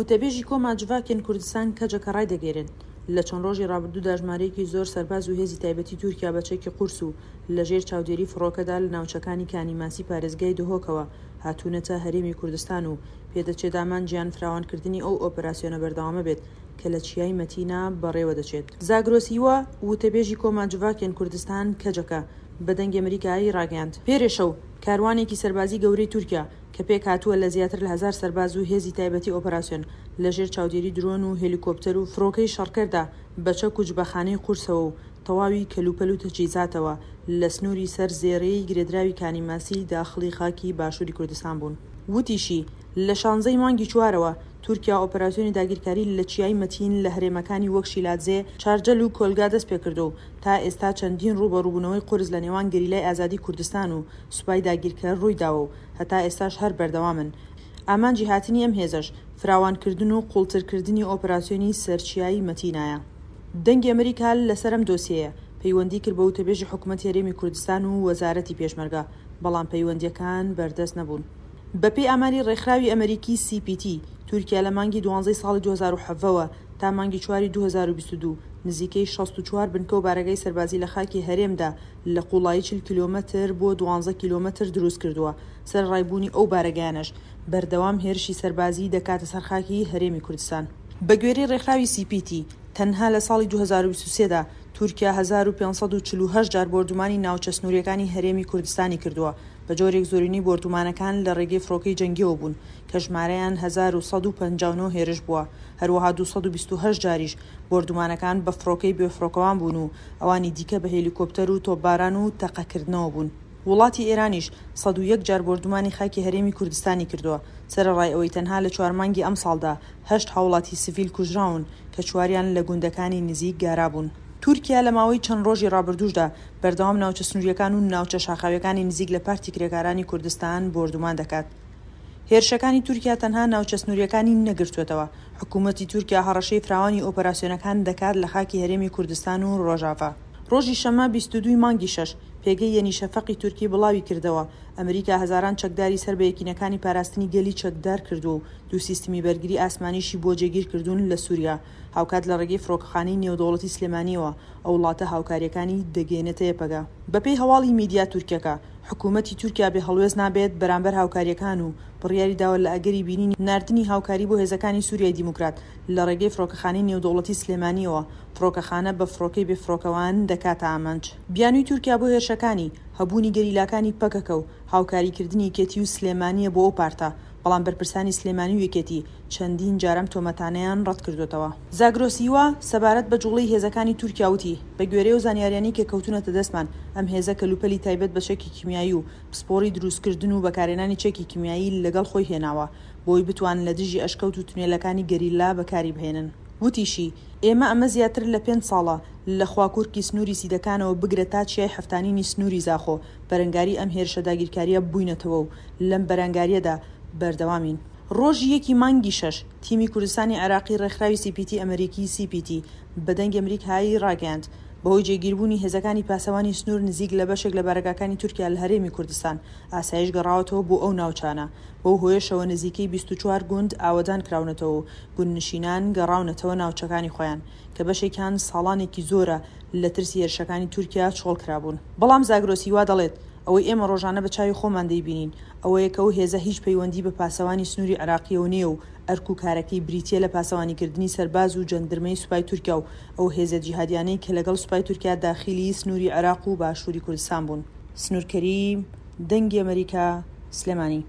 وتەبێژی کۆما جڤاکێن کوردستان کەجەکە ڕایدەگەیەنێت، لە چەند ڕۆژی ڕابردوودا ژمارەیەکی زۆر سەرباز و هێزی تایبەتی تورکیا بە چەکی قورس و لەژێر چاودێری فڕۆکەدا لە ناوچەکانی کانی ماسی پارێزگای دهۆکەوە هاتوونەتە هەرێمی کوردستان و پێدەچێت ئامانجیان فراوانکردنی ئەو ئۆپەراسیۆنە بەردەوامە بێت کە لە چیای مەتینا بەڕێوەدەچێت. زاگرۆس هیوا، وتەبێژی کۆما جڤاکێن کوردستان، کەجەکە، بە دەنگی ئەمریکای ڕاگەیاند، پێرێ شەو کاروانێکی سەربازی گەورەی تورکیا کە پێکهاتووە لە زیاتر لە هەزار سەرباز و هێزی تایبەتی ئۆپەراسیۆن لەژێر چاودێری درۆن و هێلیکۆپتەر و فڕۆکەی شەڕکەردا بە چەک و جبەخانەی قورسەوە و تەواوی کەلوپەل و تەجهیزاتەوە لە سنووری سەر زێڕێی گرێدراوی کانی ماسی داخڵی خاکی باشووری کوردستان بوون. وتیشی، لە شانزەی مانگی چوارەوە تورکیا ئۆپەراسیۆنی داگیرکاری لە چیای مەتین لە هەرێمەکانی وەک شیلادزێ، چارجەل و کۆلگا دەستپێکردووە و تا ئێستا چەندین ڕووبەڕووبوونەوەی قورس لە نێوان گەریلای ئازادی کوردستان و سوپای داگیرکەر ڕوویداوە و هەتا ئێستاش هەر بەردەوامن. ئامانجی هاتنی ئەم هێزەش فراوانکردن و قوڵترکردنی ئۆپەراسیۆنی سەر چیای مەتینایە. دەنگی ئەمریکا لەسەر ئەم دۆسیەیە پەیوەندی کرد بە وتەبێژی حکومەتی هەرێمی کوردستان و وەزارەتی پێشمەرگە، بەڵام پەیوەندییەکان بەردەست نەبوون. بەپێی ئاماری ڕێکخراوی ئەمریکی سی پی تی، تورکیا لە مانگی دوانزەی ساڵی 2017 وە تا مانگی چواری 2022 نزیکەی 64 بنکە و بارەگای سەربازی لە خاکی هەرێمدا لە قوڵایی 40 کیلۆمەتر بۆ 12 کیلۆمەتر دروستکردووە، سەرەڕای بوونی ئەو بارەگایانەش بەردەوام هێرشی سەربازیی دەکاتە سەر خاکی هەرێمی کوردستان. بەگوێرەی ڕێکخراوی سی پی تی، تەنها لە ساڵی 2023 دا تورکیا 1548 جار بۆردومانی ناوچە سنوورییەکانی هەرێمی کوردستانی کردووە، بە جۆرێک زۆرینەی بۆردومانەکان لە ڕێگەی فڕۆکەی جەنگییەوە بوون کە ژمارەیان 1159 هێرش بووە، هەروەها 228 جاریش بۆردومانەکان بە فڕۆکەی بێفڕۆکەوان بوون و ئەوانی دیکە بە هێلیکۆپتەر و تۆپباران و تەقەکردنەوە بوون. وڵاتی ئێرانیش 101 جار بۆردومانی خاکی هەرێمی کوردستانی کردووە، سەرەڕای ئەوەی تەنها لە چوار مانگی ئەمساڵدا هەشت هاوڵاتی سڤیل کوژراون کە چواریان لە گوندەکانی نزیک گارا بوون. تورکیا لە ماوەی چەند ڕۆژی ڕابردووشدا بەردەوام ناوچە سنوورییەکان و ناوچە شاخاوییەکانی نزیک لە پارتی کرێکارانی کوردستان بۆردومان دەکات. هێرشەکانی تورکیا تەنها ناوچە سنوورییەکانی نەگرتووەتەوە، حکوومەتی تورکیا هەڕەشەی فراوانی ئۆپەراسیۆنەکان دەکات لە خاکی هەرێمی کوردستان و ڕۆژاڤا. ڕۆژی شەممە 22 ی مانگی شەش، پێگەی یەنی شەفەقی تورکی بڵاوی کردەوە، ئەمریکا هەزاران چەکداری سەر بە یەکینەکانی پاراستنی گەلی چەکدار کردووە و دوو سیستمی بەرگری ئاسمانیشی بۆ جێگیر کردوون لە سوریا، هاوکات لە ڕێگەی فڕۆکەخانەی نێودەوڵەتی سلێمانییەوە ئەو وڵاتە هاوکارییەکانی دەگەیەنێتە یەپەگە. بەپێی هەواڵی میدیا تورکیەکە، حکوومەتی تورکیا بێ هەڵوێست نابێت بەرامبەر هاوکارییەکان و بڕیاری داوە لە ئەگەری بینینی ناردنی هاوکاری بۆ هێزەکانی سوریای دیموکرات لە ڕێگەی فڕۆکەخانەی نێودەوڵەتی سلێمانییەوە فڕۆکەخانە بە فڕۆکەی بێفڕۆکەوان دەکاتە ئامانج. بیانووی تورکیا بۆ هێرشەکانی، هەبوونی گەریلاکانی پەکەکە و هاوکاریکردنی یەکێتی و سلێمانییە بۆ ئەو پارتە، بەڵام بەرپرسانی سلێمانی و یەکێتی چەندین جار ئەم تۆمەتانەیان ڕەتکردۆتەوە. زاگرۆس هیوا، سەبارەت بە جوڵەی هێزەکانی تورکیا وتی، بە گوێرەی ئەو زانیاریانەی کە کەوتوونەتە دەستمان، ئەم هێزە کەلوپەلی تایبەت بە چەکی کیمیایی و پسپۆڕی دروستکردن و بەکارهێنانی چەکی کیمیایی لەگەڵ خۆی هێناوە بۆی بتوانن لە دژی ئەشکەوت و تونێلەکانی گەریلا بەکاری بهێنن. وتیشی، ئێمە ئەمە زیاتر لە پێنج ساڵە لە خواکورکی سنووری سیدەکانەوە بگرە تا چیای حەفتانینی سنووری زاخۆ بەرەنگاری ئەم هێرشە داگیرکارییە بووینەتەوە و لەم بەرەنگارییەدا بەردەوامین. ڕۆژی یەکی مانگی شەش، تیمی کوردستانی عێراقی ڕێکخراوی سی پی تی ئەمریکی، CPT، بە دەنگی ئەمریکای ڕاگەیاند، بەهۆی جێگیربوونی هێزەکانی پاسەوانی سنوور نزیک لە بەشێک لە بارەگاکانی تورکیا لە هەرێمی کوردستان، ئاسایش گەڕاوەتەوە بۆ ئەو ناوچانە، بەو هۆیەشەوە نزیکەی 24 گوند ئاوەدان کراونەتەوە و گوندنشینان گەڕاونەتەوە ناوچەکانی خۆیان، کە بەشێکیان ساڵانێکی زۆرە لە ترسی هێرشەکانی تورکیا چۆڵ کرابوون. بەڵام زاگرۆس هیوا دەڵێت، ئەوەی ئێمە ڕۆژانە بە چاوی خۆمان دەیبینین ئەوەیە کە ئەو هێزە هیچ پەیوەندی بە پاسەوانی سنووری عێراقییەوە نییە و ئەرک و کارەکەی بریتییە لە پاسەوانیکردنی سەرباز و جەندرمەی سوپای تورکیا و ئەو هێزە جیهادیانەی کە لەگەڵ سوپای تورکیا داخیلی سنووری عێراق و باشووری کوردستان بوون. سنوور کەریم، دەنگی ئەمەریکا، سلێمانی.